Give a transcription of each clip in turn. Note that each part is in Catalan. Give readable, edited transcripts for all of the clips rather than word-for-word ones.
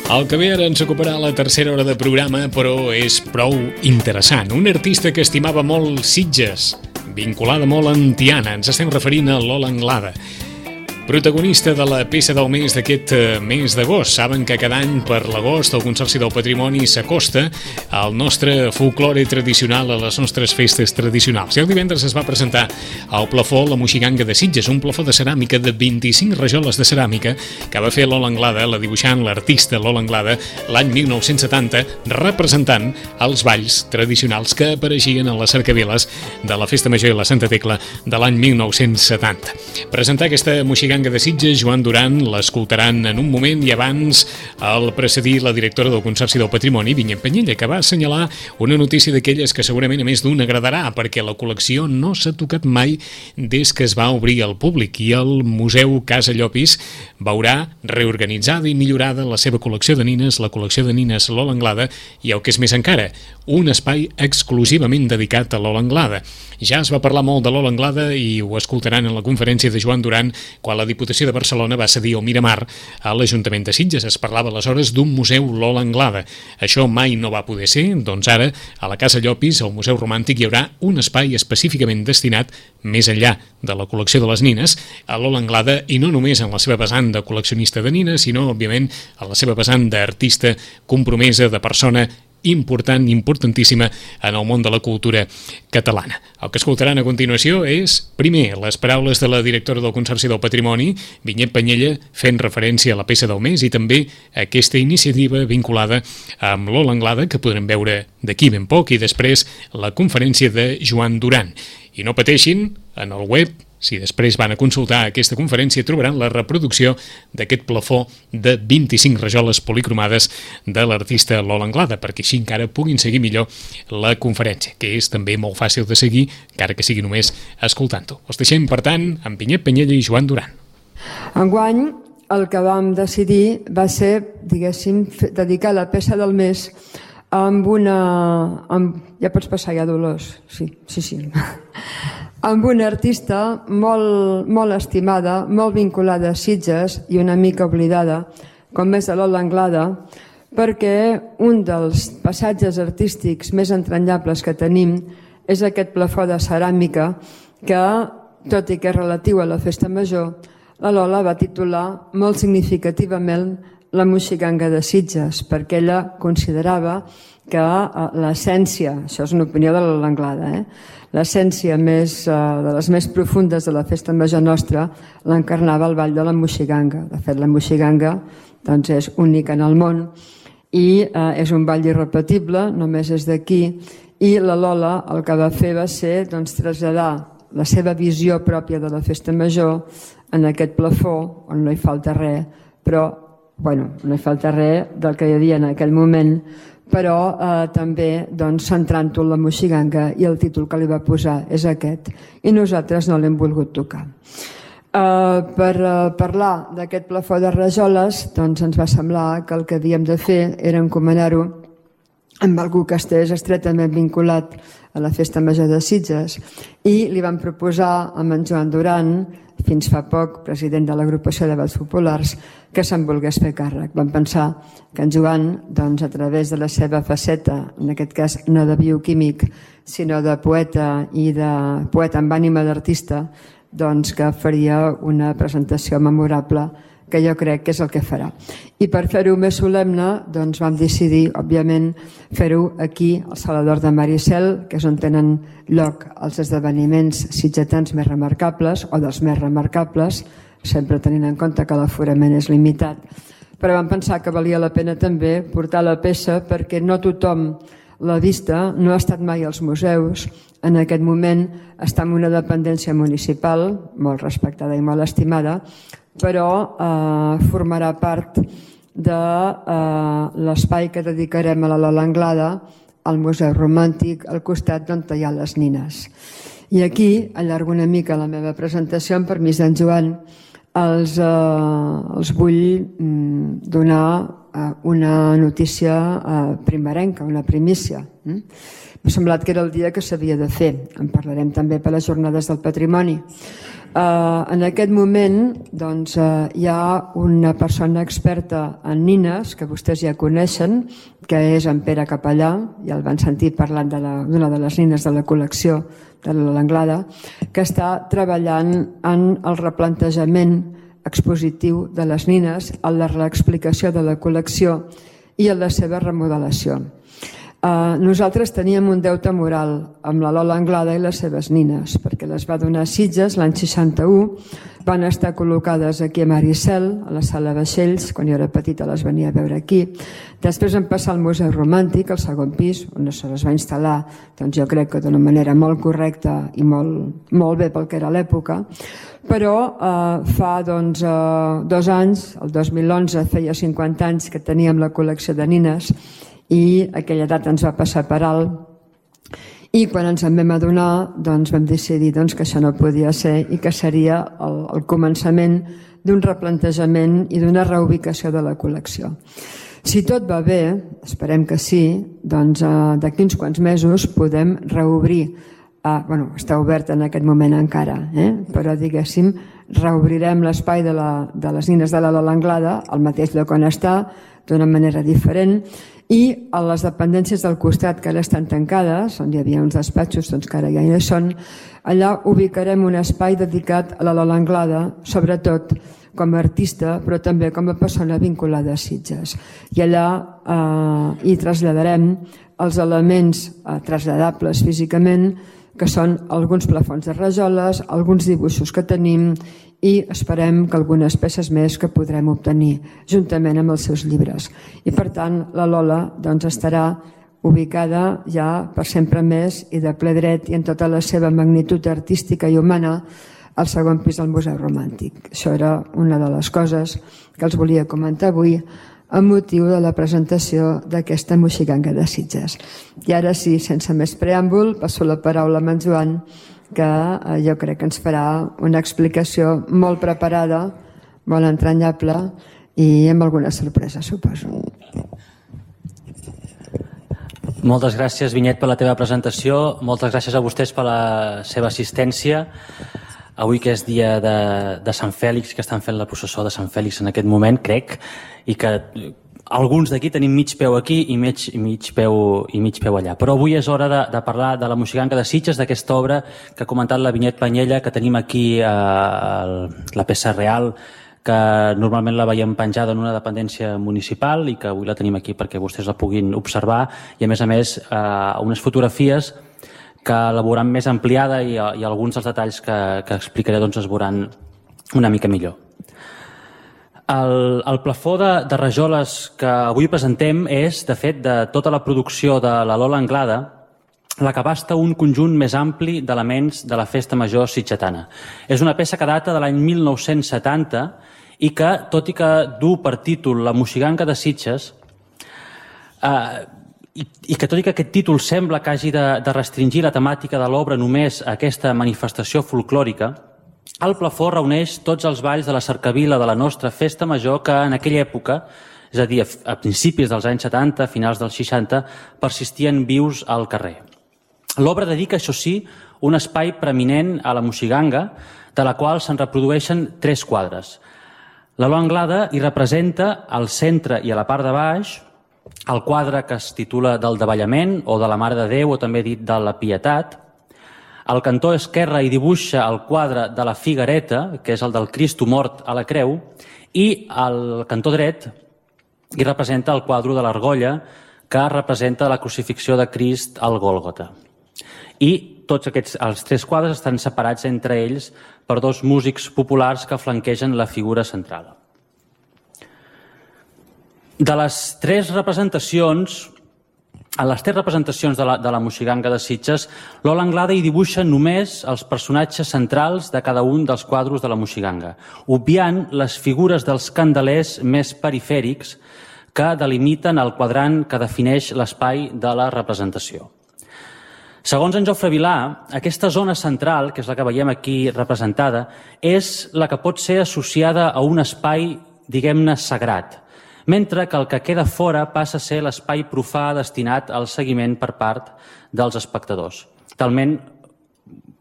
El que ve ara ens ocuparà la tercera hora de programa, però és prou interessant. Un artista que estimava molt Sitges, vinculada molt amb Tiana. Ens estem referint a Lola Anglada, protagonista de la peça del mes d'aquest mes d'agost. Saben que cada any per l'agost el Consorci del Patrimoni s'acosta al nostre folklore tradicional, a les nostres festes tradicionals. I el divendres es va presentar al plafó La Moixiganga de Sitges, un plafó de ceràmica de 25 rajoles de ceràmica que va fer Lola Anglada, la dibuixant, l'artista Lola Anglada, l'any 1970, representant els balls tradicionals que apareixien a les cercaviles de la Festa Major i la Santa Tecla de l'any 1970. Presentar aquesta Moixiganga de Sitges, Joan Duran, l'escoltaran en un moment, i abans el precedir la directora del Consorci del Patrimoni, Vinyet Penyella, que va assenyalar una notícia d'aquelles que segurament a més d'un agradarà, perquè la col·lecció no s'ha tocat mai des que es va obrir al públic, i el Museu Casa Llopis veurà reorganitzada i millorada la seva col·lecció de nines, la col·lecció de nines Lola Anglada, i el que és més encara, un espai exclusivament dedicat a Lola Anglada. Ja es va parlar molt de Lola Anglada i ho escoltaran en la conferència de Joan Duran quan la Diputació de Barcelona va cedir el Miramar a l'Ajuntament de Sitges. Es parlava aleshores d'un museu Lola Anglada. Això mai no va poder ser, doncs ara a la Casa Llopis, al Museu Romàntic, hi haurà un espai específicament destinat, més enllà de la col·lecció de les nines, a Lola Anglada, i no només en la seva vessant de col·leccionista de nines, sinó, òbviament, en la seva vessant d'artista compromesa, de persona important, importantíssima en el món de la cultura catalana. El que escoltaran a continuació és, primer, les paraules de la directora del Consorci del Patrimoni, Vinyet Penyella, fent referència a la peça del mes, i també a aquesta iniciativa vinculada amb Lola Anglada, que podrem veure d'aquí ben poc, i després la conferència de Joan Duran. I no pateixin, en el web, si després van a consultar aquesta conferència, trobaran la reproducció d'aquest plafó de 25 rajoles policromades de l'artista Lola Anglada, perquè així encara puguin seguir millor la conferència, que és també molt fàcil de seguir, encara que sigui només escoltant-ho. Els deixem, per tant, amb Vinyet Penyella i Joan Duran. Enguany, el que vam decidir va ser, diguéssim, dedicar la peça del mes amb una... Ja pots passar ja, Dolors? Sí. Amb una artista molt estimada, molt vinculada a Sitges i una mica oblidada, com és Lola Anglada, perquè un dels passatges artístics més entranyables que tenim és aquest plafó de ceràmica que, tot i que és relatiu a la Festa Major, la Lola va titular molt significativament La Moixiganga de Sitges, perquè ella considerava que l'essència, això és una opinió de Lola Anglada, l'essència de les més profundes de la Festa Major nostra l'encarnava el ball de la Moixiganga. De fet, la Moixiganga és única en el món i és un ball irrepetible, només és d'aquí, i la Lola el que va fer va ser traslladar la seva visió pròpia de la Festa Major en aquest plafó, on no hi falta res, però no hi falta res del que hi havia en aquell moment, però també centrant-ho en la Moixiganga, i el títol que li va posar és aquest, i nosaltres no l'hem volgut tocar. Per parlar d'aquest plafó de rajoles, ens va semblar que el que havíem de fer era encomanar-ho amb algú que estigués estretament vinculat a la Festa Major de Sitges, i li vam proposar amb en Joan Duran, fins fa poc president de l'agrupació de balls populars, que se'n volgués fer càrrec. Vam pensar que en Joan, a través de la seva faceta, en aquest cas no de bioquímic, sinó de poeta, i de poeta amb ànima d'artista, que faria una presentació memorable, que jo crec que és el que farà. I per fer-ho més solemne, vam decidir, òbviament, fer-ho aquí, al Salador de Maricel, que és on tenen lloc els esdeveniments sitgetans més remarcables, o dels més remarcables, sempre tenint en compte que l'aforament és limitat. Però vam pensar que valia la pena també portar la peça, perquè no tothom l'ha vista, no ha estat mai als museus. En aquest moment està en una dependència municipal, molt respectada i molt estimada, però formarà part de l'espai que dedicarem a la Lola Anglada, al Museu Romàntic, al costat d'on hi ha les nines. I aquí allargo una mica la meva presentació, amb permís d'en Joan. Els vull donar una notícia primerenca, una primícia. M'ha semblat que era el dia que s'havia de fer. En parlarem també per les Jornades del Patrimoni. En aquest moment doncs, hi ha una persona experta en nines que vostès ja coneixen, que és en Pere Capellà, ja el van sentir parlant d'una de les nines de la col·lecció de l'Anglada, que està treballant en el replantejament expositiu de les nines, en la reexplicació de la col·lecció i en la seva remodelació. Nosaltres teníem un deute moral amb la Lola Anglada i les seves nines, perquè les va donar a Sitges l'any 61, van estar col·locades aquí a Maricel, a la sala Vaixells, quan jo era petita les venia a veure aquí. Després vam passar al Museu Romàntic, al segon pis, on se les va instal·lar, doncs jo crec que d'una manera molt correcta i molt bé pel que era l'època, però fa 2 anys, el 2011, feia 50 anys que teníem la col·lecció de nines, i aquella data ens va passar per alt i quan ens en vam adonar doncs vam decidir que això no podia ser i que seria el començament d'un replantejament i d'una reubicació de la col·lecció. Si tot va bé, esperem que sí, doncs d'aquí uns quants mesos podem reobrir, està obert en aquest moment encara, però diguéssim reobrirem l'espai de les nines de la Lola Anglada al mateix lloc on està, d'una manera diferent, i a les dependències del costat que ara estan tancades, on hi havia uns despatxos que ara ja hi són, allà ubicarem un espai dedicat a la Lola Anglada, sobretot com a artista, però també com a persona vinculada a Sitges. I allà hi traslladarem els elements traslladables físicament, que són alguns plafons de rajoles, alguns dibuixos que tenim i esperem que algunes peces més que podrem obtenir juntament amb els seus llibres. I per tant la Lola estarà ubicada ja per sempre més i de ple dret i en tota la seva magnitud artística i humana al segon pis del Museu Romàntic. Això era una de les coses que els volia comentar avui amb motiu de la presentació d'aquesta moixiganga de Sitges. I ara sí, sense més preàmbul, passo la paraula a en Joan, que jo crec que ens farà una explicació molt preparada, molt entranyable i amb alguna sorpresa, suposo. Moltes gràcies, Vinyet, per la teva presentació. Moltes gràcies a vostès per la seva assistència. Avui que és dia de Sant Fèlix, que estan fent la processó de Sant Fèlix en aquest moment, crec, i que alguns d'aquí tenim mig peu aquí i mig peu allà. Però avui és hora de parlar de la moixiganga de Sitges, d'aquesta obra que ha comentat la Vinyet Panyella, que tenim aquí la peça real, que normalment la veiem penjada en una dependència municipal i que avui la tenim aquí perquè vostès la puguin observar, i a més unes fotografies que la veuran més ampliada i alguns dels detalls que explicaré es veuran una mica millor. El plafó de rajoles que avui presentem és, de fet, de tota la producció de la Lola Anglada, la que abasta un conjunt més ampli d'elements de la Festa Major sitgetana. És una peça que data de l'any 1970 i que, tot i que du per títol La moixiganga de Sitges, i que tot i que aquest títol sembla que hagi de restringir la temàtica de l'obra només a aquesta manifestació folclòrica, el plafó reuneix tots els balls de la cercavila de la nostra Festa Major que en aquella època, és a dir, a principis dels anys 70, finals dels 60, persistien vius al carrer. L'obra dedica, això sí, un espai preeminent a la moixiganga, de la qual se'n reprodueixen 3 quadres. La Lola Anglada hi representa al centre i a la part de baix el quadre que es titula del Davallament o de la Mare de Déu, o també dit de la Pietat. Al cantó esquerre hi dibuixa el quadre de la Figuereta, que és el del Cristo mort a la creu, i al cantó dret hi representa el quadre de l'Argolla, que representa la crucifixió de Crist al Gòlgota. I tots els 3 quadres estan separats entre ells per 2 músics populars que flanquegen la figura central. De les 3 representacions, en les 3 representacions de la moixiganga de Sitges, Lola Anglada hi dibuixa només els personatges centrals de cada un dels quadros de la moixiganga, obviant les figures dels candelers més perifèrics que delimiten el quadrant que defineix l'espai de la representació. Segons en Jofre Vilà, aquesta zona central, que és la que veiem aquí representada, és la que pot ser associada a un espai, diguem-ne, sagrat, mentre que el que queda fora passa a ser l'espai profà destinat al seguiment per part dels espectadors. Talment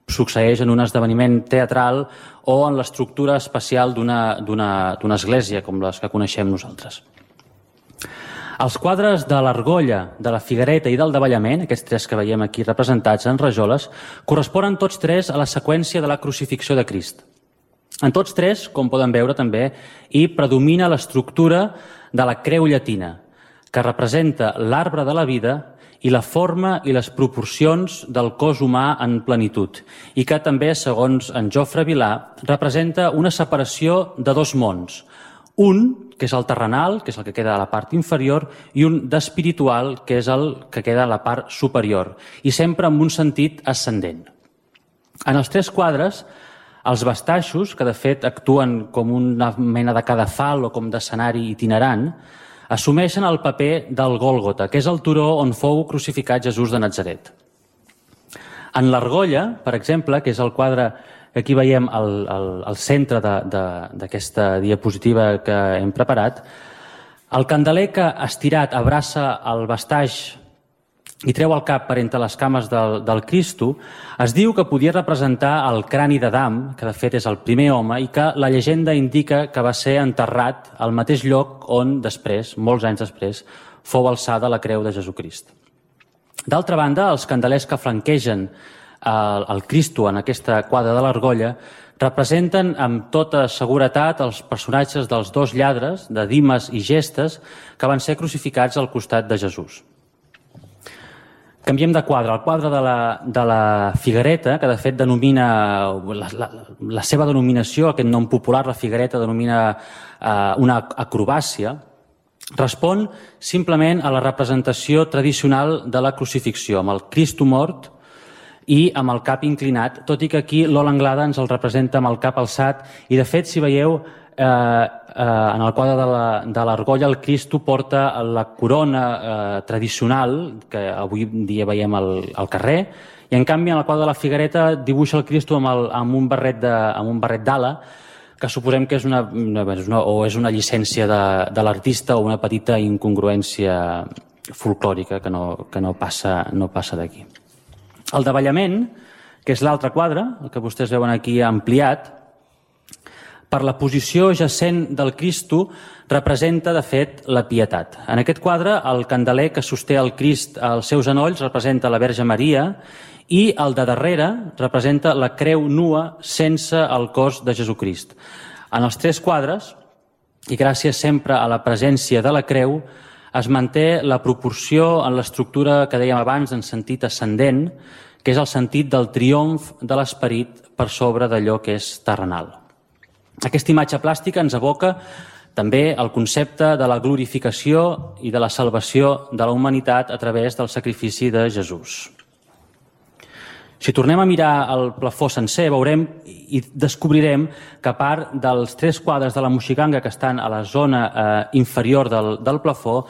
succeeix en un esdeveniment teatral o en l'estructura espacial d'una església, com les que coneixem nosaltres. Els quadres de l'Argolla, de la Figuereta i del Davallament, aquests tres que veiem aquí representats en rajoles, corresponen tots tres a la seqüència de la crucifixió de Crist. En tots tres, com poden veure també, hi predomina l'estructura de la creu llatina, que representa l'arbre de la vida i la forma i les proporcions del cos humà en plenitud, i que també, segons en Jofre Vilà, representa una separació de dos mons. Un, que és el terrenal, que és el que queda a la part inferior, i un d'espiritual, que és el que queda a la part superior, i sempre amb un sentit ascendent. En els tres quadres, els bastaixos, que de fet actuen com una mena de cadafal o com d'escenari itinerant, assumeixen el paper del Gòlgota, que és el turó on fou crucificat Jesús de Natzaret. En l'Argolla, per exemple, que és el quadre que aquí veiem al centre d'aquesta diapositiva que hem preparat, el candeler que estirat abraça el bastaix i treu el cap per entre les cames del Cristo, es diu que podia representar el crani d'Adam, que de fet és el primer home, i que la llegenda indica que va ser enterrat al mateix lloc on després, molts anys després, fou alçada la creu de Jesucrist. D'altra banda, els candelers que flanquegen el Cristo en aquesta quadra de l'Argolla representen amb tota seguretat els personatges dels dos lladres, de Dimes i Gestes, que van ser crucificats al costat de Jesús. Canviem de quadre. El quadre de la Figuereta, que de fet denomina, la seva denominació, aquest nom popular, la Figuereta, denomina una acrobàcia, respon simplement a la representació tradicional de la crucifixió, amb el Cristo mort i amb el cap inclinat, tot i que aquí l'Ola Anglada ens el representa amb el cap alçat, i de fet, si veieu, en el quadre de l'Argolla, el Cristo porta la corona tradicional que avui dia veiem al carrer, i en canvi en el quadre de la Figuereta dibuixa el Cristo amb un barret d'ala, que suposem que és una llicència de l'artista o una petita incongruència folclòrica que no passa d'aquí. El davallament, que és l'altre quadre, el que vostès veuen aquí ampliat, per la posició jacent del Cristo, representa, de fet, la pietat. En aquest quadre, el candeler que sosté el Crist als seus genolls representa la Verge Maria i el de darrere representa la creu nua sense el cos de Jesucrist. En els tres quadres, i gràcies sempre a la presència de la creu, es manté la proporció en l'estructura que dèiem abans en sentit ascendent, que és el sentit del triomf de l'esperit per sobre d'allò que és terrenal. Aquesta imatge plàstica ens evoca també el concepte de la glorificació i de la salvació de la humanitat a través del sacrifici de Jesús. Si tornem a mirar el plafó sencer, veurem i descobrirem que a part dels tres quadres de la Moixiganga que estan a la zona inferior del plafó,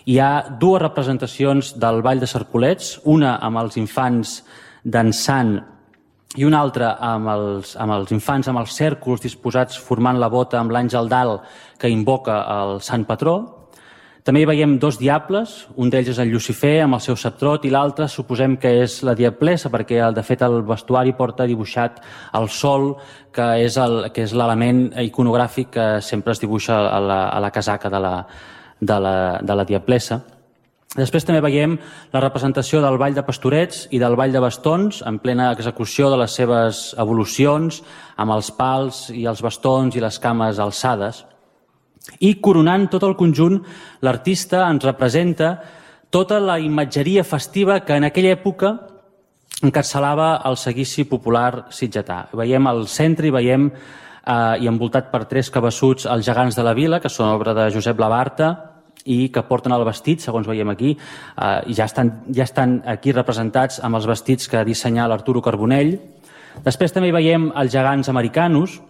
hi ha dues representacions del Ball de Serpolets, una amb els infants dansant i una altra amb els infants amb els cèrcols disposats formant la bota amb l'àngel dalt que invoca el sant patró. També hi veiem dos diables, un d'ells és el Llucifer amb el seu ceptrot i l'altre suposem que és la diablessa perquè de fet el vestuari porta dibuixat el sol, que és l'element iconogràfic que sempre es dibuixa a la casaca de la diablessa. Després també veiem la representació del Ball de Pastorets i del Ball de Bastons en plena execució de les seves evolucions amb els pals i els bastons i les cames alçades. I coronant tot el conjunt, l'artista ens representa tota la imatgeria festiva que en aquella època encapçalava el seguici popular sitgetà. Veiem al centre i veiem i envoltat per tres cabassuts els gegants de la vila, que són obra de Josep Labarta i que porten el vestit, segons veiem aquí, ja estan aquí representats amb els vestits que dissenyà l'Arturo Carbonell. Després també hi veiem els gegants americanos,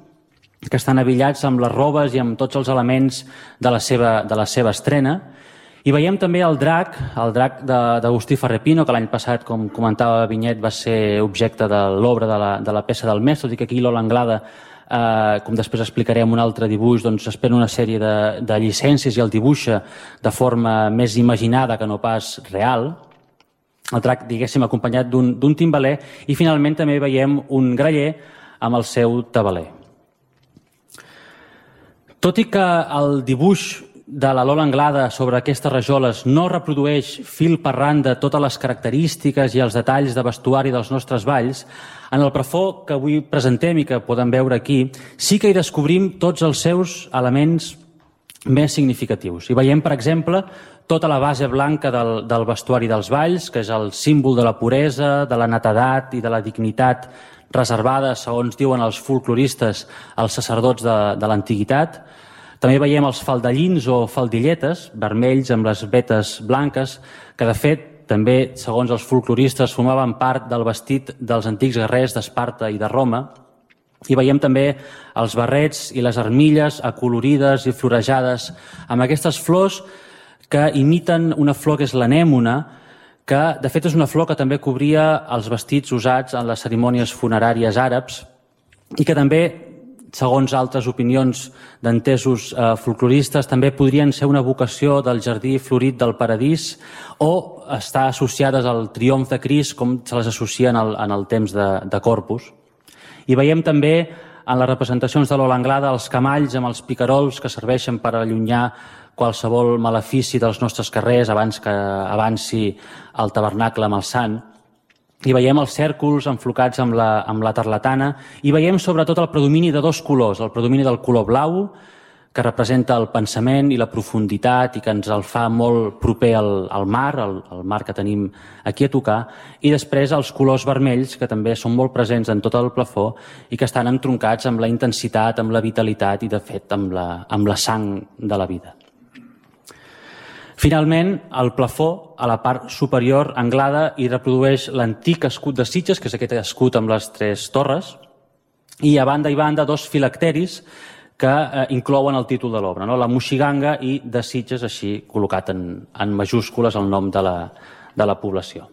que estan abillats amb les robes i amb tots els elements de la seva estrena. I veiem també el drac d'Agustí Ferrer-Pino, que l'any passat, com comentava Vinyet, va ser objecte de l'obra de la peça del mes, tot i que aquí l'Ola Anglada, com després explicaré en un altre dibuix, doncs espera una sèrie de llicències i el dibuixa de forma més imaginada que no pas real. el drac, diguéssim, acompanyat d'un timbaler, i finalment també veiem un graller amb el seu tabaler. Tot i que el dibuix de la Lola Anglada sobre aquestes rajoles no reprodueix fil per randa totes les característiques i els detalls de vestuari dels nostres balls, en el plafó que avui presentem i que poden veure aquí, sí que hi descobrim tots els seus elements més significatius. I veiem, per exemple, tota la base blanca del vestuari dels balls, que és el símbol de la puresa, de la netedat i de la dignitat reservada, segons diuen els folcloristes, als sacerdots de l'antiguitat. També veiem els faldellins o faldilletes, vermells amb les vetes blanques, que de fet també, segons els folcloristes, formaven part del vestit dels antics guerrers d'Esparta i de Roma. I veiem també els barrets i les armilles acolorides i florejades amb aquestes flors que imiten una flor que és l'anèmona, que de fet és una flor que també cobria els vestits usats en les cerimònies funeràries àrabs i que també, segons altres opinions d'entesos folcloristes, també podrien ser una vocació del jardí florit del paradís o estar associades al triomf de Crist, com se les associen en el temps de Corpus. I veiem també en les representacions de Lola Anglada els camalls amb els picarols que serveixen per allunyar qualsevol malefici dels nostres carrers abans que avanci el tabernacle amb el sant. I veiem els cèrcols enflocats amb la tarlatana i veiem sobretot el predomini de dos colors, el predomini del color blau, que representa el pensament i la profunditat i que ens el fa molt proper al mar, el mar que tenim aquí a tocar, i després els colors vermells, que també són molt presents en tot el plafó i que estan entroncats amb la intensitat, amb la vitalitat i, de fet, amb la sang de la vida. Finalment, el plafó, a la part superior, Anglada, hi reprodueix l'antic escut de Sitges, que és aquest escut amb les tres torres, i a banda i banda dos filacteris que inclouen el títol de l'obra, no? La Moixiganga i de Sitges, així col·locat en majúscules el nom de la població.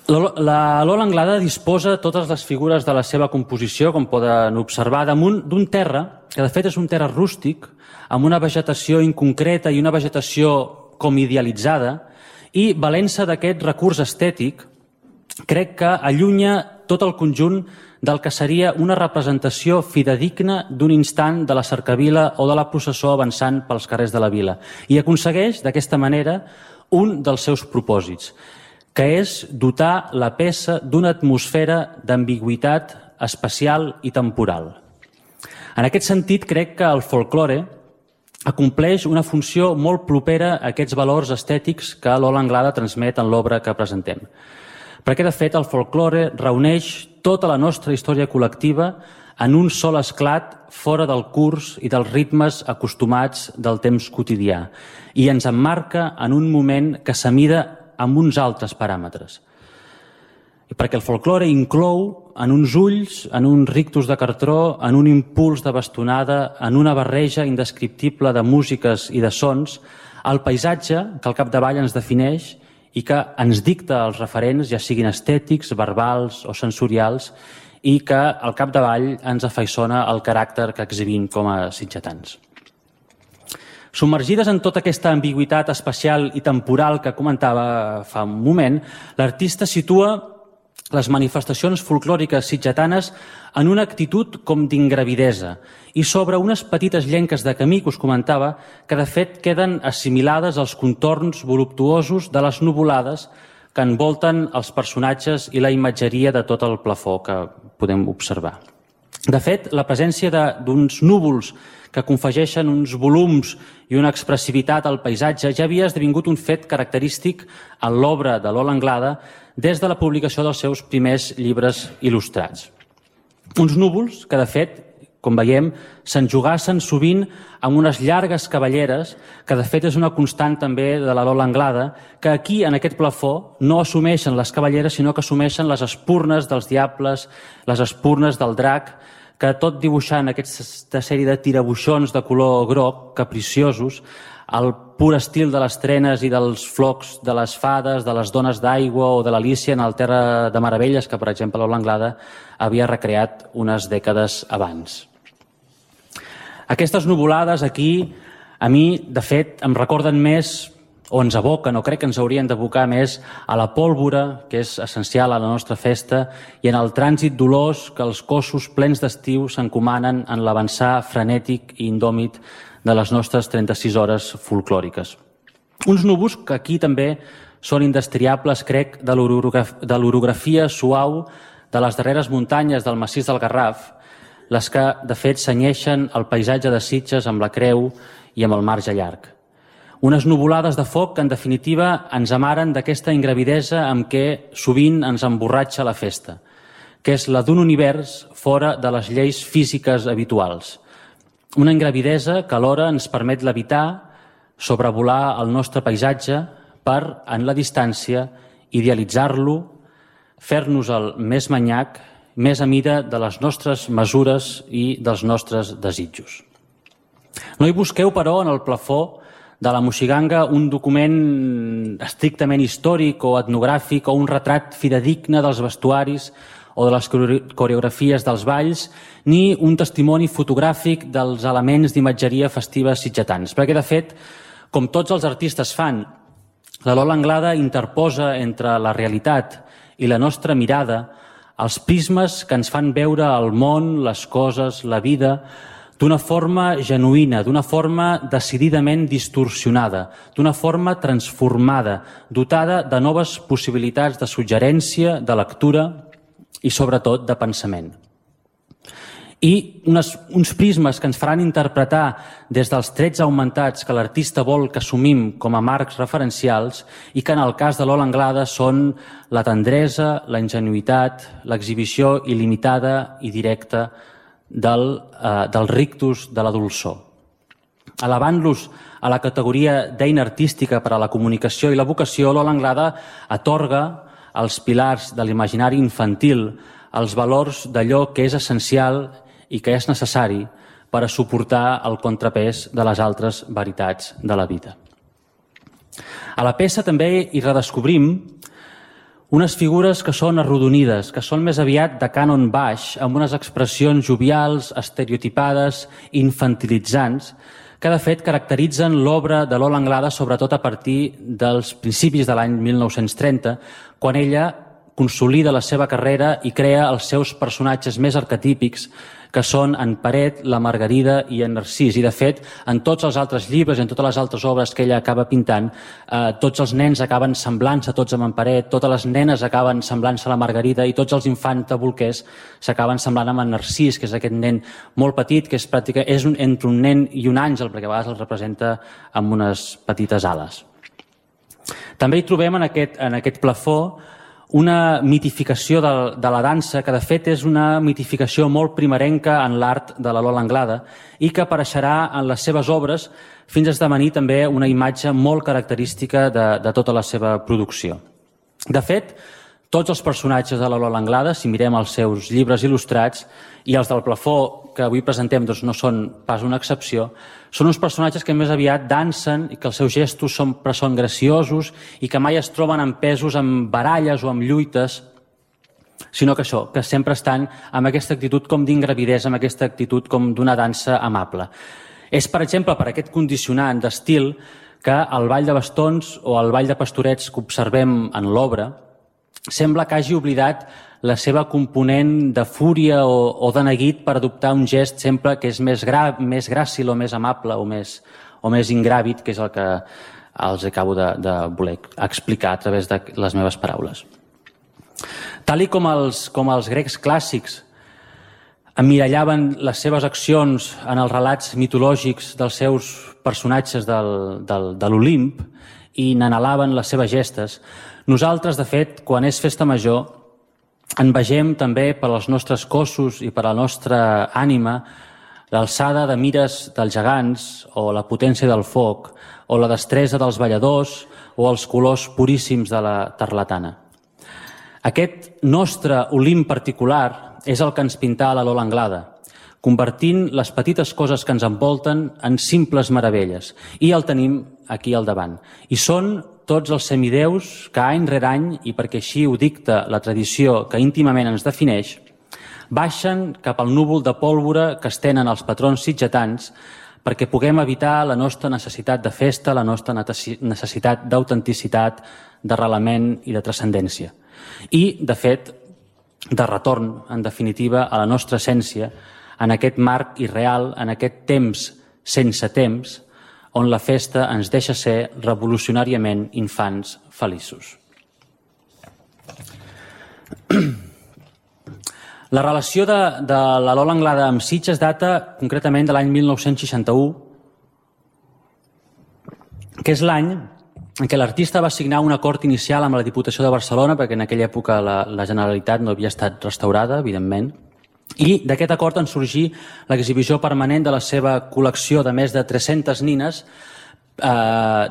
La Lola Anglada disposa totes les figures de la seva composició, com poden observar, damunt d'un terra, que de fet és un terra rústic, amb una vegetació inconcreta i una vegetació com idealitzada, i valent-se d'aquest recurs estètic, crec que allunya tot el conjunt del que seria una representació fidedigna d'un instant de la cercavila o de la processó avançant pels carrers de la vila, i aconsegueix, d'aquesta manera, un dels seus propòsits, que és dotar la peça d'una atmosfera d'ambigüitat espacial i temporal. En aquest sentit, crec que el folklore acompleix una funció molt propera a aquests valors estètics que Lola Anglada transmet en l'obra que presentem. Perquè, de fet, el folklore reuneix tota la nostra història col·lectiva en un sol esclat fora del curs i dels ritmes acostumats del temps quotidià i ens emmarca en un moment que s'amida amb uns altres paràmetres. I perquè el folklore inclou en uns ulls, en uns rictus de cartró, en un impuls de bastonada, en una barreja indescriptible de músiques i de sons, el paisatge que al capdavall ens defineix i que ens dicta els referents, ja siguin estètics, verbals o sensorials, i que al capdavall ens afaiçona el caràcter que exhibim com a sitgetans. Submergides en tota aquesta ambigüitat espacial i temporal que comentava fa un moment, l'artista situa les manifestacions folclòriques sitgetanes en una actitud com d'ingravidesa i sobre unes petites llenques de camí que us comentava que de fet queden assimilades als contorns voluptuosos de les nuvolades que envolten els personatges i la imatgeria de tot el plafó que podem observar. De fet, la presència d'uns núvols que confegeixen uns volums i una expressivitat al paisatge ja havia esdevingut un fet característic en l'obra de Lola Anglada des de la publicació dels seus primers llibres il·lustrats. Uns núvols que, de fet, com veiem, s'enjugassen sovint amb unes llargues cavalleres, que de fet és una constant també de la Lola Anglada, que aquí, en aquest plafó, no assumeixen les cavalleres, sinó que assumeixen les espurnes dels diables, les espurnes del drac, que tot dibuixant aquesta sèrie de tirabuixons de color groc, capriciosos, el pur estil de les trenes i dels flocs de les fades, de les dones d'aigua o de l'Alícia en el Terra de Meravelles, que, per exemple, Lola Anglada havia recreat unes dècades abans. Aquestes nuvolades aquí, a mi, de fet, em recorden més o ens aboquen, o crec que ens haurien d'abocar més a la pólvora, que és essencial a la nostra festa, i en el trànsit dolós que els cossos plens d'estiu s'encomanen en l'avançar frenètic i indòmit de les nostres 36 hores folclòriques. Uns núvols que aquí també són indestriables, crec, de l'orografia suau de les darreres muntanyes del massís del Garraf, les que, de fet, senyeixen el paisatge de Sitges amb la creu i amb el marge llarg. Unes nuvolades de foc que, en definitiva, ens amaren d'aquesta ingravidesa amb què sovint ens emborratxa la festa, que és la d'un univers fora de les lleis físiques habituals. Una ingravidesa que alhora ens permet levitar, sobrevolar el nostre paisatge per, en la distància, idealitzar-lo, fer-nos el més manyac, més a mida de les nostres mesures i dels nostres desitjos. No hi busqueu, però, en el plafó de la moixiganga un document estrictament històric o etnogràfic o un retrat fidedigne dels vestuaris o de les coreografies dels balls, ni un testimoni fotogràfic dels elements d'imatgeria festiva sitgetans. Perquè, de fet, com tots els artistes fan, la Lola Anglada interposa entre la realitat i la nostra mirada els prismes que ens fan veure el món, les coses, la vida, d'una forma genuïna, d'una forma decididament distorsionada, d'una forma transformada, dotada de noves possibilitats de suggerència, de lectura i, sobretot, de pensament. I uns prismes que ens faran interpretar des dels trets augmentats que l'artista vol que assumim com a marcs referencials i que en el cas de Lola Anglada són la tendresa, la ingenuïtat, l'exhibició il·limitada i directa del rictus de la dolçor. Elevant-los a la categoria d'eina artística per a la comunicació i la vocació, Lola Anglada atorga als pilars de l'imaginari infantil els valors d'allò que és essencial i que és necessari per a suportar el contrapès de les altres veritats de la vida. A la peça també hi redescobrim unes figures que són arrodonides, que són més aviat de cànon baix, amb unes expressions jovials, estereotipades, infantilitzants, que de fet caracteritzen l'obra de Lola Anglada sobretot a partir dels principis de l'any 1930, quan ella consolida la seva carrera i crea els seus personatges més arquetípics, que són en Peret, la Margarida i en Narcís. I, de fet, en tots els altres llibres, en totes les altres obres que ella acaba pintant, tots els nens acaben semblant-se tots amb en Peret, totes les nenes acaben semblant-se a la Margarida i tots els infants de bolquers s'acaben semblant amb en Narcís, que és aquest nen molt petit, que és entre un nen i un àngel, perquè a vegades el representa amb unes petites ales. També hi trobem en aquest plafó una mitificació de la dansa, que de fet és una mitificació molt primerenca en l'art de la Lola Anglada i que apareixerà en les seves obres fins a esdevenir també una imatge molt característica de tota la seva producció. De fet, tots els personatges de la Lola Anglada, si mirem els seus llibres il·lustrats, i els del plafó que avui presentem no són pas una excepció, són uns personatges que més aviat dansen i que els seus gestos són graciosos i que mai es troben empesos amb baralles o amb lluites, sinó que això, que sempre estan amb aquesta actitud com d'ingravidesa, amb aquesta actitud com d'una dansa amable. És, per exemple, per aquest condicionant d'estil que el ball de bastons o el ball de pastorets que observem en l'obra sembla que hagi oblidat la seva component de fúria o de neguit per adoptar un gest sempre que és més gràcil o més amable o més ingràvid, que és el que els acabo de voler explicar a través de les meves paraules. Tal i com els grecs clàssics emmirallaven les seves accions en els relats mitològics dels seus personatges de l'Olimp i n'anhelaven les seves gestes, nosaltres, de fet, quan és festa major, en vegem també per als nostres cossos i per a la nostra ànima l'alçada de mires dels gegants o la potència del foc o la destresa dels balladors o els colors puríssims de la tarlatana. Aquest nostre Olimp particular és el que ens pintà la Lola Anglada, convertint les petites coses que ens envolten en simples meravelles. I el tenim aquí al davant. I són tots els semideus que any rere any, i perquè així ho dicta la tradició que íntimament ens defineix, baixen cap al núvol de pólvora que estenen els patrons sitgetans perquè puguem evitar la nostra necessitat de festa, la nostra necessitat d'autenticitat, d'arrelament i de transcendència. I, de fet, de retorn, en definitiva, a la nostra essència, en aquest marc irreal, en aquest temps sense temps, on la festa ens deixa ser revolucionàriament infants feliços. La relació de la Lola Anglada amb Sitges data concretament de l'any 1961, que és l'any en què l'artista va signar un acord inicial amb la Diputació de Barcelona, perquè en aquella època la Generalitat no havia estat restaurada, evidentment, i d'aquest acord en sorgí l'exhibició permanent de la seva col·lecció de més de 300 nines,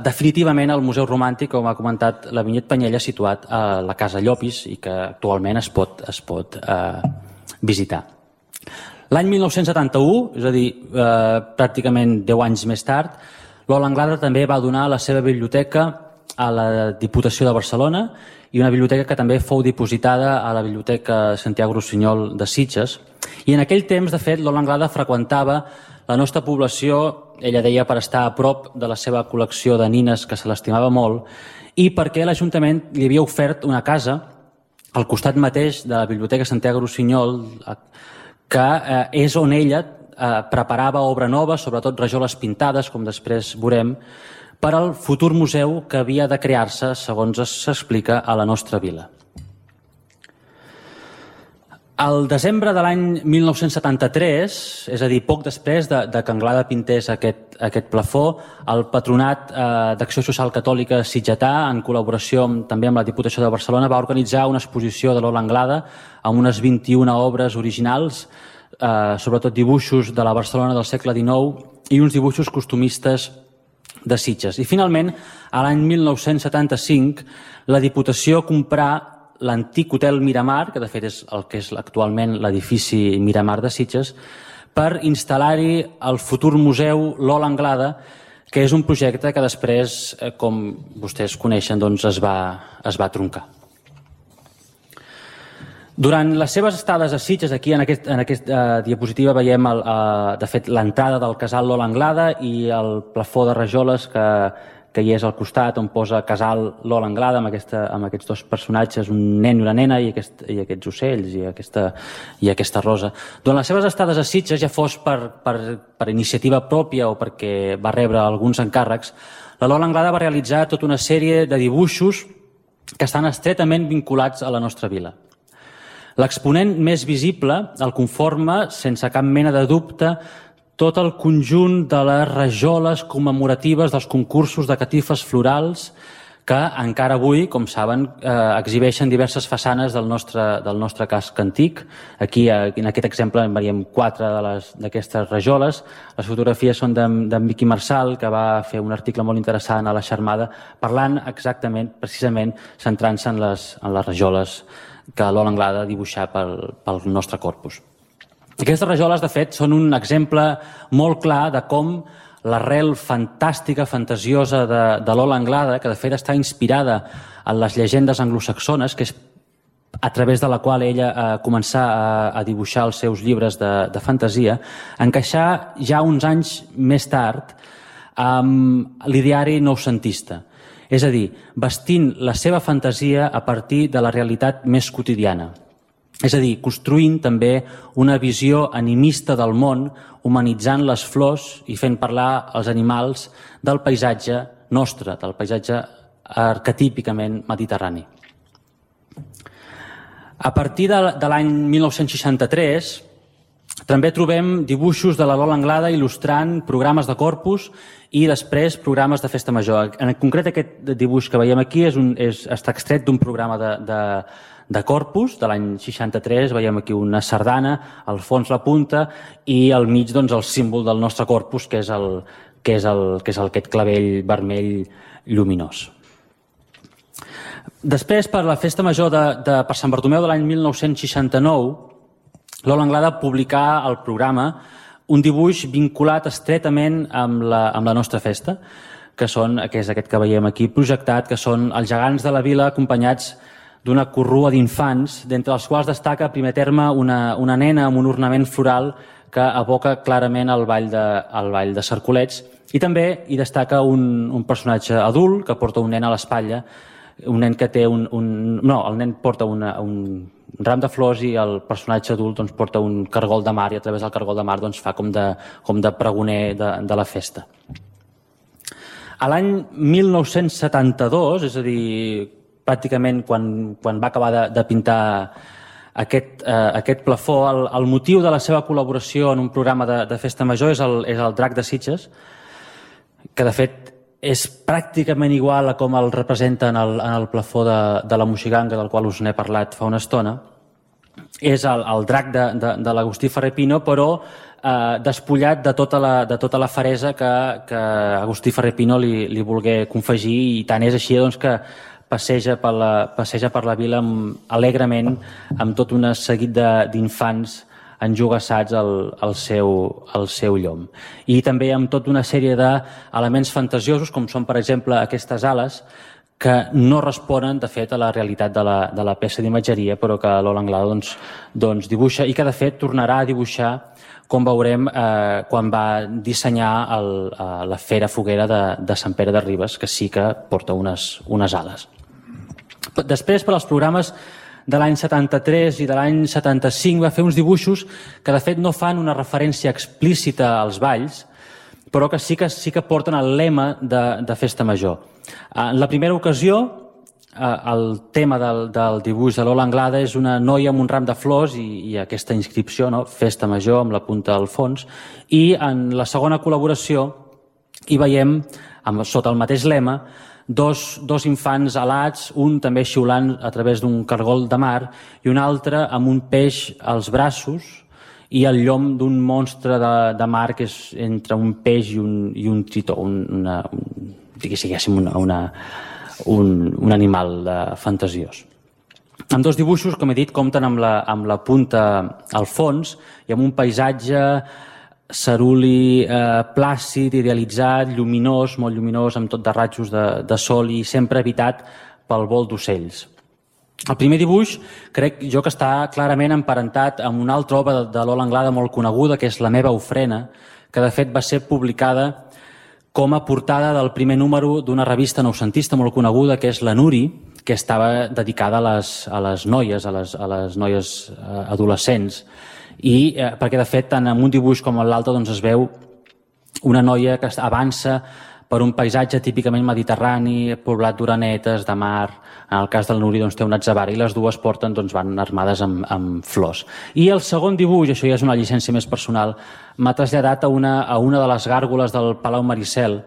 definitivament al Museu Romàntic, com ha comentat la Vinyet Panyella, situat a la Casa Llopis i que actualment es pot visitar. L'any 1971, és a dir, pràcticament 10 anys més tard, Lola Anglada també va donar la seva biblioteca a la Diputació de Barcelona i una biblioteca que també fou dipositada a la Biblioteca Santiago Rossinyol de Sitges. I en aquell temps, de fet, Lola Anglada freqüentava la nostra població, ella deia, per estar a prop de la seva col·lecció de nines, que se l'estimava molt, i perquè l'Ajuntament li havia ofert una casa al costat mateix de la Biblioteca Santiago Rossinyol, que és on ella preparava obra nova, sobretot rajoles pintades, com després veurem, per al futur museu que havia de crear-se, segons s'explica, a la nostra vila. Al desembre de l'any 1973, és a dir, poc després de que Anglada pintés aquest plafó, el Patronat d'Acció Social Catòlica Sitgetà, en col·laboració també amb la Diputació de Barcelona, va organitzar una exposició de Lola Anglada amb unes 21 obres originals, sobretot dibuixos de la Barcelona del segle XIX i uns dibuixos costumistes de Sitges. I finalment, a l'any 1975, la Diputació comprà l'antic hotel Miramar, que de fet és el que és actualment l'edifici Miramar de Sitges, per instal·lar-hi el futur museu Lola Anglada, que és un projecte que després, com vostès coneixen, doncs es va truncar. Durant les seves estades a Sitges, aquí en aquesta diapositiva veiem, de fet, l'entrada del casal Lola Anglada i el plafó de rajoles que hi és al costat, on posa casal Lola Anglada amb aquests dos personatges, un nen i una nena i aquests ocells i aquesta rosa. Durant les seves estades a Sitges, ja fos per iniciativa pròpia o perquè va rebre alguns encàrrecs, la Lola Anglada va realitzar tota una sèrie de dibuixos que estan estretament vinculats a la nostra vila. L'exponent més visible el conforma, sense cap mena de dubte, tot el conjunt de les rajoles commemoratives dels concursos de catifes florals que encara avui, com saben, exhibeixen diverses façanes del nostre casc antic. Aquí, en aquest exemple, en veiem 4 d'aquestes rajoles. Les fotografies són d'en Miqui Marçal, que va fer un article molt interessant a la Xarmada, parlant exactament, precisament, centrant-se en les rajoles que Lola Anglada dibuixà pel nostre corpus. Aquestes rajoles, de fet, són un exemple molt clar de com l'arrel fantàstica, fantasiosa de Lola Anglada, que de fet està inspirada en les llegendes anglosaxones, que és a través de la qual ella començà a dibuixar els seus llibres de fantasia, encaixar ja uns anys més tard amb l'ideari noucentista. És a dir, vestint la seva fantasia a partir de la realitat més quotidiana. És a dir, construint també una visió animista del món, humanitzant les flors i fent parlar els animals del paisatge nostre, del paisatge arquetípicament mediterrani. A partir de l'any 1963, també trobem dibuixos de la Lola Anglada il·lustrant programes de Corpus i després programes de Festa Major. En concret, aquest dibuix que veiem aquí està extret d'un programa de Corpus de l'any 63. Veiem aquí una sardana, al fons la punta i al mig el símbol del nostre Corpus, que és aquest clavell vermell lluminós. Després, per la Festa Major per Sant Bartomeu de l'any 1969, Lola Anglada publicà al programa un dibuix vinculat estretament amb la nostra festa, que és aquest que veiem aquí projectat, que són els gegants de la vila acompanyats d'una corrua d'infants, d'entre els quals destaca a primer terme una nena amb un ornament floral que evoca clarament el ball de Cercolets, i també hi destaca un personatge adult que porta un nen a l'espatlla, un nen que té el nen porta un ram de flors i el personatge adult doncs, porta un cargol de mar, i a través del cargol de mar doncs, fa com de pregoner de la festa. A l'any 1972, és a dir, pràcticament quan va acabar de pintar aquest plafó, el motiu de la seva col·laboració en un programa de festa major és el Drac de Sitges, que de fet és pràcticament igual a com el representa en el plafó de la Moixiganga, del qual us n'he parlat fa una estona. És el drac de l'Agustí Ferrer Pino, però despullat de tota la feresa que Agustí Ferrer Pino li volgué confegir, i tant és així doncs, que passeja per la vila alegrement amb tot un seguit d'infants enjogassats al seu llom. I també amb tota una sèrie d'elements fantasiosos, com són, per exemple, aquestes ales, que no responen, de fet, a la realitat de la peça d'imatgeria, però que Lola Anglada doncs, dibuixa, i que, de fet, tornarà a dibuixar, com veurem, quan va dissenyar la Fera Foguera de Sant Pere de Ribes, que sí que porta unes ales. Després, per als programes de l'any 73 i de l'any 75, va fer uns dibuixos que, de fet, no fan una referència explícita als balls, però que sí que porten el lema de Festa Major. En la primera ocasió, el tema del dibuix de Lola Anglada és una noia amb un ram de flors i aquesta inscripció, no? Festa Major, amb la punta al fons, i en la segona col·laboració hi veiem, sota el mateix lema, dos infants alats, un també xiulant a través d'un cargol de mar i un altre amb un peix als braços i el llom d'un monstre de mar que és entre un peix i un tritó, diguéssim, un animal fantasiós. Amb dos dibuixos, com he dit, compten amb la punta al fons i amb un paisatge ceruli plàcid, idealitzat, lluminós, molt lluminós, amb tot de ratjos de sol i sempre habitat pel vol d'ocells. El primer dibuix crec jo que està clarament emparentat amb una altra obra de Lola Anglada molt coneguda, que és La meva ofrena, que de fet va ser publicada com a portada del primer número d'una revista noucentista molt coneguda, que és La Nuri, que estava dedicada a les noies, a les noies adolescents. I perquè, de fet, tant en un dibuix com en l'altre doncs, es veu una noia que avança per un paisatge típicament mediterrani, poblat d'orenetes, de mar. En el cas del Nuri doncs, té un atzabar i les dues van armades amb flors. I el segon dibuix, això ja és una llicència més personal, m'ha traslladat a una de les gàrgoles del Palau Maricel,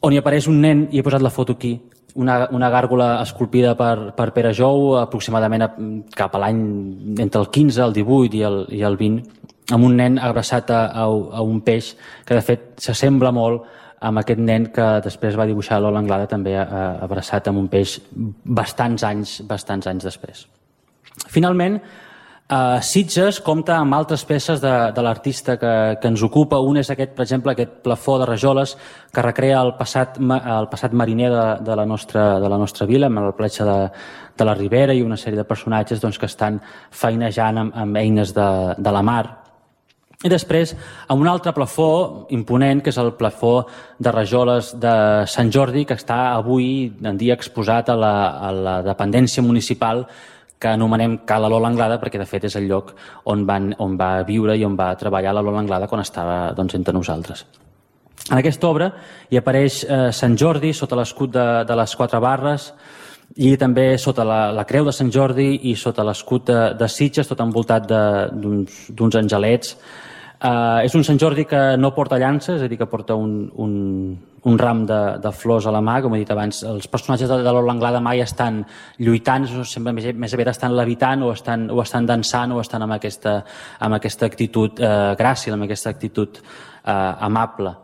on hi apareix un nen, i he posat la foto aquí, una gàrgola esculpida per Pere Jou, aproximadament cap a l'any entre el 15, el 18 i el 20, amb un nen abraçat a un peix que, de fet, s'assembla molt amb aquest nen que després va dibuixar Lola Anglada, també abraçat amb un peix bastants anys després. Finalment, Sitges compta amb altres peces de l'artista que ens ocupa. Un és aquest, per exemple, aquest plafó de rajoles que recrea el passat mariner de la nostra vila, amb la platja de la Ribera i una sèrie de personatges que estan feinejant amb eines de la mar. I després, amb un altre plafó imponent, que és el plafó de rajoles de Sant Jordi, que està avui en dia exposat a la dependència municipal que anomenem Cala Lola Anglada, perquè de fet és el lloc on va viure i on va treballar la Lola Anglada quan estava entre nosaltres. En aquesta obra hi apareix Sant Jordi sota l'escut de les 4 barres i també sota la creu de Sant Jordi i sota l'escut de Sitges, tot envoltat d'uns angelets. És un Sant Jordi que no porta llança, és a dir, que porta un ram de flors a la mà. Com he dit abans, els personatges de Lola Anglada mai estan lluitant, sempre més aviat estan levitant o estan dansant o estan amb aquesta actitud gràcil, amb aquesta actitud amable.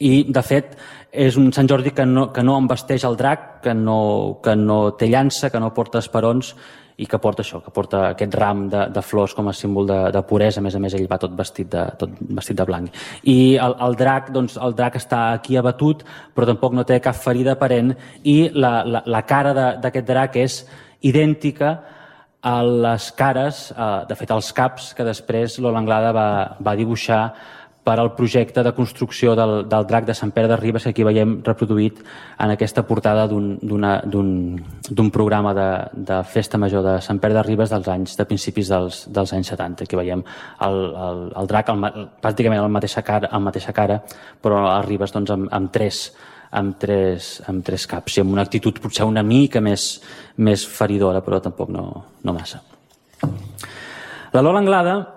I, de fet, és un Sant Jordi que no embesteix el drac, que no té llança, que no porta esperons i que porta això, que porta aquest ram de flors com a símbol de puresa. A més, ell va tot vestit de blanc. I el drac està aquí abatut, però tampoc no té cap ferida aparent, i la cara d'aquest drac és idèntica les cares, de fet els caps, que després Lola Anglada va dibuixar per al projecte de construcció del drac de Sant Pere de Ribes, que aquí veiem reproduït en aquesta portada d'un programa de festa major de Sant Pere de Ribes de principis dels anys 70. Aquí veiem el drac pràcticament amb mateixa cara, però a Ribes amb tres caps i amb una actitud potser una mica més feridora, però tampoc no massa. La Lola Anglada,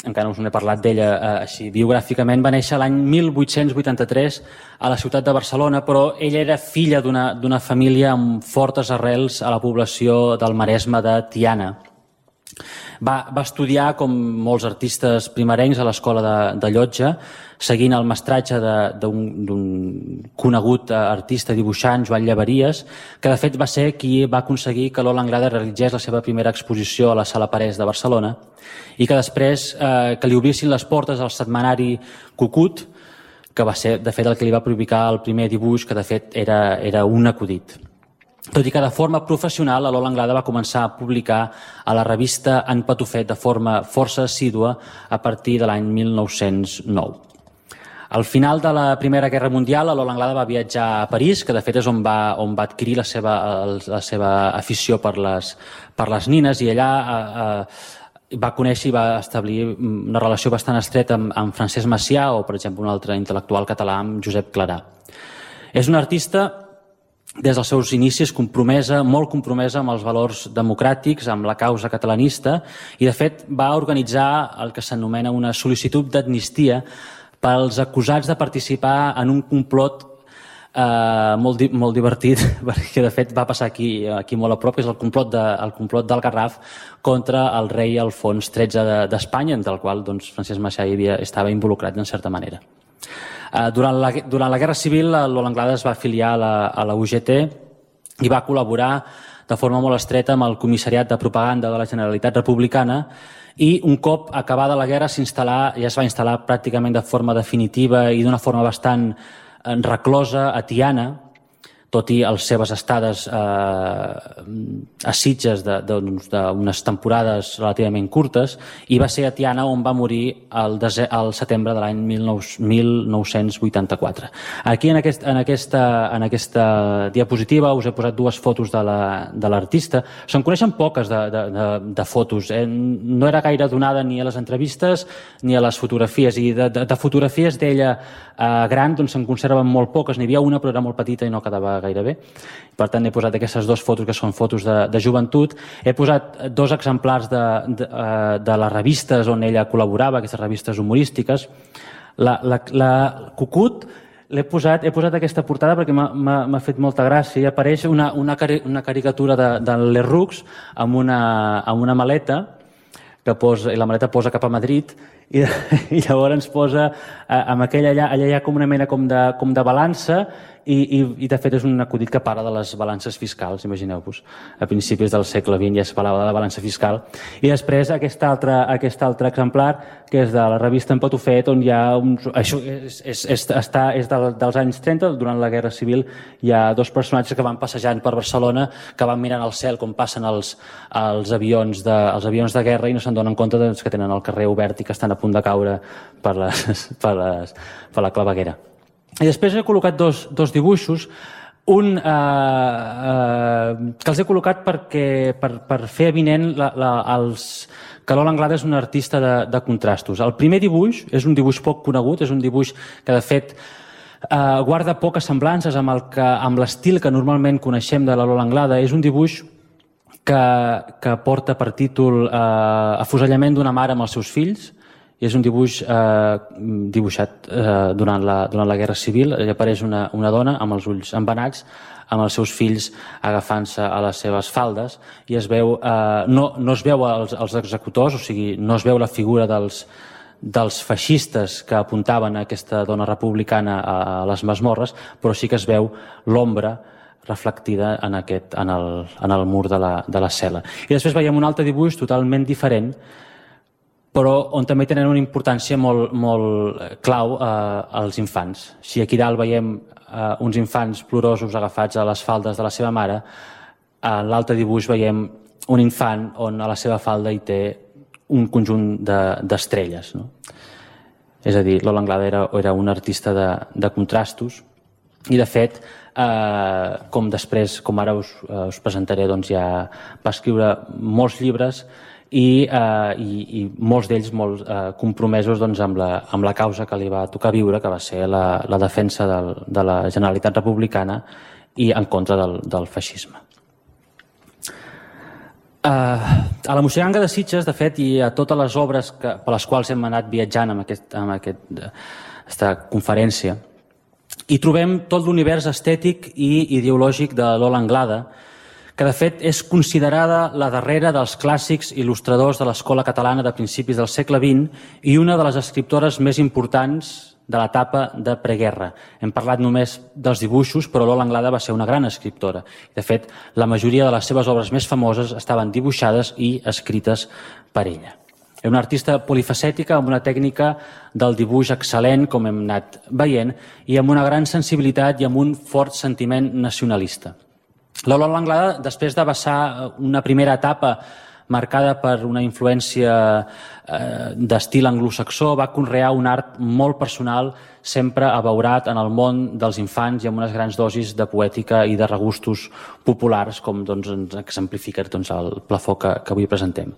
encara no us n'he parlat d'ella així biogràficament, va néixer l'any 1883 a la ciutat de Barcelona, però ella era filla d'una família amb fortes arrels a la població del Maresme de Tiana. Va estudiar, com molts artistes primerencs, a l'escola de Llotja, seguint el mestratge d'un conegut artista dibuixant, Joan Llaveries, que de fet va ser qui va aconseguir que Lola Anglada realitzés la seva primera exposició a la Sala Parés de Barcelona i que després que li obrissin les portes al setmanari Cucut, que va ser de fet el que li va publicar el primer dibuix, que de fet era un acudit. Tot i que de forma professional, la Lola Anglada va començar a publicar a la revista En Patufet de forma força assídua a partir de l'any 1909. Al final de la Primera Guerra Mundial, la Lola Anglada va viatjar a París, que de fet és on va adquirir la seva afició per les nines, i allà va conèixer i va establir una relació bastant estreta amb Francesc Macià o, per exemple, un altre intel·lectual català, amb Josep Clarà. És una artista des dels seus inicis molt compromesa amb els valors democràtics, amb la causa catalanista, i de fet va organitzar el que s'anomena una sol·licitud d'amnistia pels acusats de participar en un complot molt divertit, perquè de fet va passar aquí molt a prop, que és el complot del Garraf contra el rei Alfons XIII d'Espanya, del qual Francesc Macià estava involucrat en certa manera. Durant la Guerra Civil, Lola Anglada es va afiliar a la UGT i va col·laborar de forma molt estreta amb el Comissariat de Propaganda de la Generalitat Republicana, i un cop acabada la guerra ja es va instal·lar pràcticament de forma definitiva i d'una forma bastant reclosa a Tiana, tot i les seves estades a Sitges d'unes temporades relativament curtes, i va ser a Tiana on va morir al setembre de l'any 1984. Aquí en aquesta diapositiva us he posat dues fotos de l'artista. Se'n coneixen poques de fotos, no era gaire donada ni a les entrevistes ni a les fotografies, i de fotografies d'ella gran se'n conserven molt poques, n'hi havia una però era molt petita i no quedava gaire bé. Per tant, he posat aquestes dues fotos que són fotos de joventut. He posat dos exemplars de les revistes on ella col·laborava, aquestes revistes humorístiques. La Cucut he posat aquesta portada perquè m'ha fet molta gràcia. Hi apareix una caricatura de Lerroux amb una maleta, i la maleta posa cap a Madrid, i llavors posa amb aquella allà hi ha com una mena com de balança, i de fet és un acudit que parla de les balances fiscals, imagineu-vos. A principis del segle XX ja es parlava de la balança fiscal. I després aquest altre exemplar, que és de la revista En Patufet, on hi ha això és dels anys 30, durant la Guerra Civil. Hi ha dos personatges que van passejant per Barcelona, que van mirant al cel com passen els avions de guerra, i no se'n donen compte que tenen el carrer obert i que estan a punt de caure per la claveguera. I després he col·locat dos dibuixos, un que els he col·locat per fer evident que Lola Anglada és una artista de contrastos. El primer dibuix és un dibuix poc conegut, és un dibuix que de fet guarda poques semblances amb l'estil que normalment coneixem de la Lola Anglada. És un dibuix que porta per títol Afusellament d'una mare amb els seus fills. És un dibuix dibuixat durant la Guerra Civil. Hi apareix una dona amb els ulls embenats, amb els seus fills agafant-se a les seves faldes, i es veu, no es veu els executors, o sigui, no es veu la figura dels feixistes que apuntaven a aquesta dona republicana a les masmorres, però sí que es veu l'ombra reflectida en el mur de la cel·la. I després veiem un altre dibuix totalment diferent, però on també tenen una importància molt clau als infants. Si aquí dalt veiem uns infants plorosos agafats a les faldes de la seva mare, en l'altre dibuix veiem un infant on a la seva falda hi té un conjunt d'estrelles, no? És a dir, Lola Anglada era un artista de contrastos i, de fet, com ara us presentaré, doncs ja va escriure molts llibres i molts d'ells molt compromesos amb la causa que li va tocar viure, que va ser la defensa de la Generalitat republicana i en contra del feixisme. A la Moixiganga de Sitges, de fet, i a totes les obres per les quals hem anat viatjant en aquesta conferència, hi trobem tot l'univers estètic i ideològic de Lola Anglada, que de fet és considerada la darrera dels clàssics il·lustradors de l'escola catalana de principis del segle XX i una de les escriptores més importants de l'etapa de preguerra. Hem parlat només dels dibuixos, però Lola Anglada va ser una gran escriptora. De fet, la majoria de les seves obres més famoses estaven dibuixades i escrites per ella. Era una artista polifacètica, amb una tècnica del dibuix excel·lent, com hem anat veient, i amb una gran sensibilitat i amb un fort sentiment nacionalista. La Lola Anglada, després de passar una primera etapa marcada per una influència d'estil anglosaxó, va conrear un art molt personal, sempre abeurat en el món dels infants i amb unes grans dosis de poètica i de regustos populars, com ens exemplifica el plafó que avui presentem.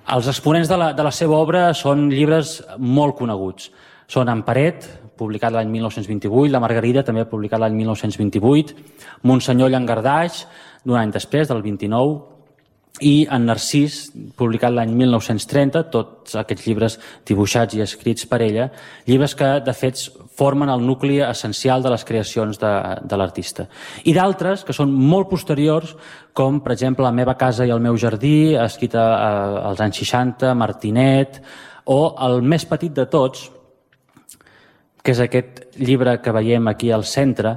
Els exponents de la seva obra són llibres molt coneguts. Són En Paret, publicat l'any 1928, La Margarida, també publicat l'any 1928, Monsenyor Llangardaix, d'un any després, del 29, i En Narcís, publicat l'any 1930, tots aquests llibres dibuixats i escrits per ella, llibres que, de fet, formen el nucli essencial de les creacions de l'artista. I d'altres, que són molt posteriors, com, per exemple, La meva casa i el meu jardí, escrita als anys 60, Martinet, o el més petit de tots, que és aquest llibre que veiem aquí al centre,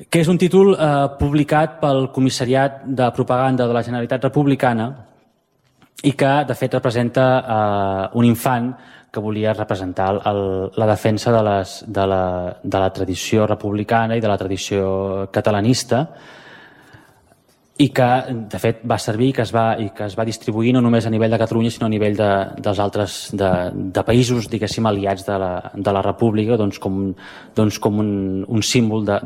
que és un títol publicat pel Comissariat de Propaganda de la Generalitat Republicana i que, de fet, representa un infant que volia representar la defensa de la tradició republicana i de la tradició catalanista i que, de fet, va servir i que es va distribuir no només a nivell de Catalunya, sinó a nivell dels altres de països, diguéssim, aliats de la República, com un símbol de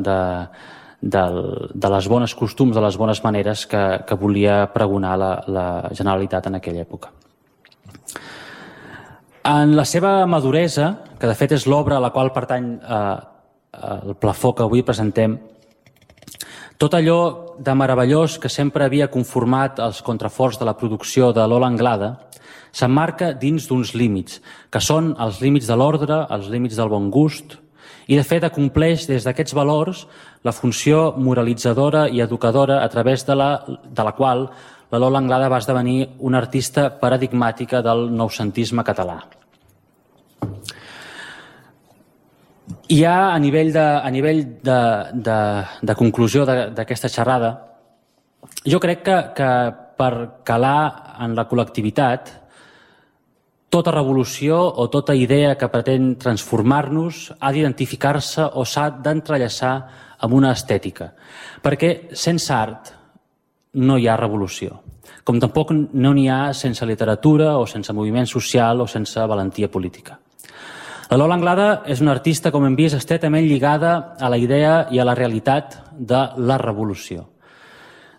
les bones costums, de les bones maneres que volia pregonar la Generalitat en aquella època. En la seva maduresa, que de fet és l'obra a la qual pertany el plafó que avui presentem, tot allò de meravellós que sempre havia conformat els contraforts de la producció de Lola Anglada s'emmarca dins d'uns límits, que són els límits de l'ordre, els límits del bon gust, i de fet acompleix des d'aquests valors la funció moralitzadora i educadora a través de la qual la Lola Anglada va esdevenir una artista paradigmàtica del noucentisme català. I ja a nivell de conclusió d'aquesta xerrada, jo crec que per calar en la col·lectivitat, tota revolució o tota idea que pretén transformar-nos ha d'identificar-se o s'ha d'entrellaçar amb una estètica, perquè sense art no hi ha revolució, com tampoc no n'hi ha sense literatura o sense moviment social o sense valentia política. La Lola Anglada és una artista, com hem vist, estretament lligada a la idea i a la realitat de la revolució.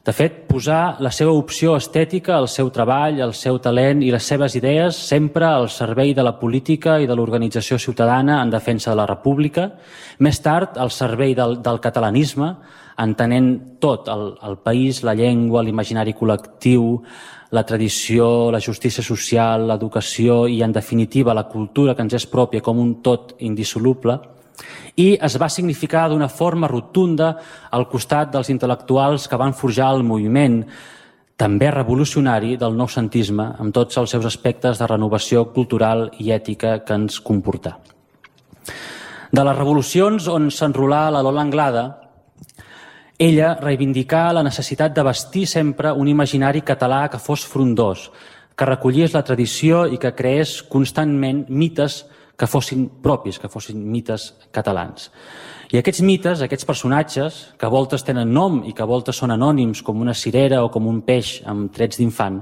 De fet, posar la seva opció estètica, el seu treball, el seu talent i les seves idees sempre al servei de la política i de l'organització ciutadana en defensa de la República, més tard al servei del catalanisme, entenent tot, el país, la llengua, l'imaginari col·lectiu, la tradició, la justícia social, l'educació i, en definitiva, la cultura que ens és pròpia com un tot indissoluble, i es va significar d'una forma rotunda al costat dels intel·lectuals que van forjar el moviment, també revolucionari, del noucentisme, amb tots els seus aspectes de renovació cultural i ètica que ens comportà. De les revolucions on s'enrolà la Lola Anglada, ella reivindicà la necessitat de vestir sempre un imaginari català que fos frondós, que recollís la tradició i que creés constantment mites que fossin propis, que fossin mites catalans. I aquests mites, aquests personatges, que a voltes tenen nom i que a voltes són anònims, com una cirera o com un peix amb trets d'infant,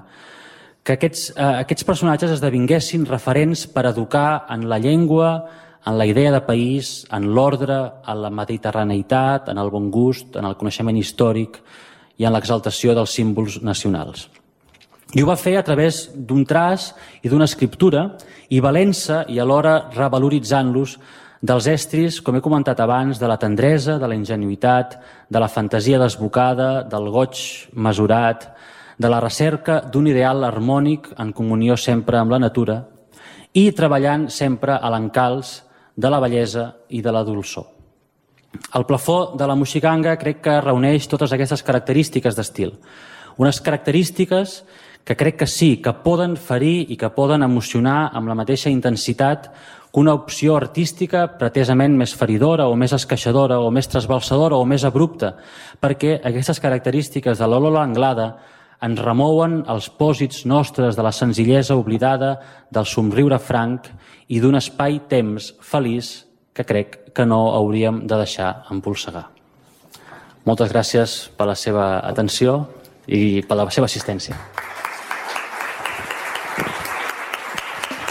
que aquests personatges esdevinguessin referents per educar en la llengua, en la idea de país, en l'ordre, en la mediterraneïtat, en el bon gust, en el coneixement històric i en l'exaltació dels símbols nacionals. I ho va fer a través d'un traç i d'una escriptura, i valent-se i alhora revaloritzant-los dels estris, com he comentat abans, de la tendresa, de la ingenuïtat, de la fantasia desbocada, del goig mesurat, de la recerca d'un ideal harmònic en comunió sempre amb la natura i treballant sempre a l'encalç de la bellesa i de la dolçor. El plafó de la Moixiganga crec que reuneix totes aquestes característiques d'estil. Unes característiques que crec que sí, que poden ferir i que poden emocionar amb la mateixa intensitat que una opció artística pretesament més feridora o més esqueixadora o més trasbalsadora o més abrupta, perquè aquestes característiques de l'Lola Anglada ens remouen els pòsits nostres de la senzillesa oblidada, del somriure franc i d'un espai-temps feliç que crec que no hauríem de deixar empolsegar. Moltes gràcies per la seva atenció i per la seva assistència.